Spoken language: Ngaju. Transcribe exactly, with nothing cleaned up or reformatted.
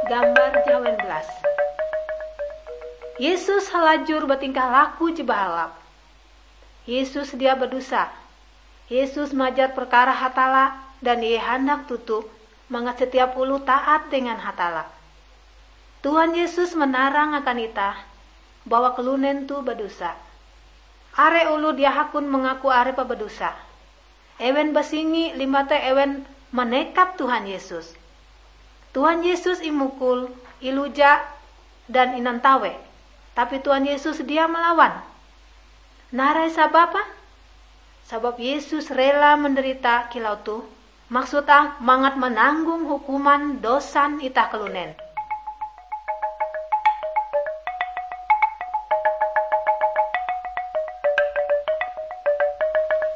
Gambar jawen belas. Yesus halajur batingkah laku je bahalap. Yesus dia badosa. Yesus majar perkara Hatalla dan ie handak toto mangat setiap oloh taat dengan Hatalla. Tuhan Yesus manarang akan itah bahwa kalunen toh badosa. Are oloh dia hakon mangaku arepe badosa. Ewen basingi limbah te ewen manekap Tuhan Yesus. Tuhan Yesus imukul, iluja, dan inantawe. Tapi Tuhan Yesus dia malawan. Narai sababe? Sabab Yesus rela menderita kilau toh, maksud ah mangat mananggong hukuman dosan itah kalunen.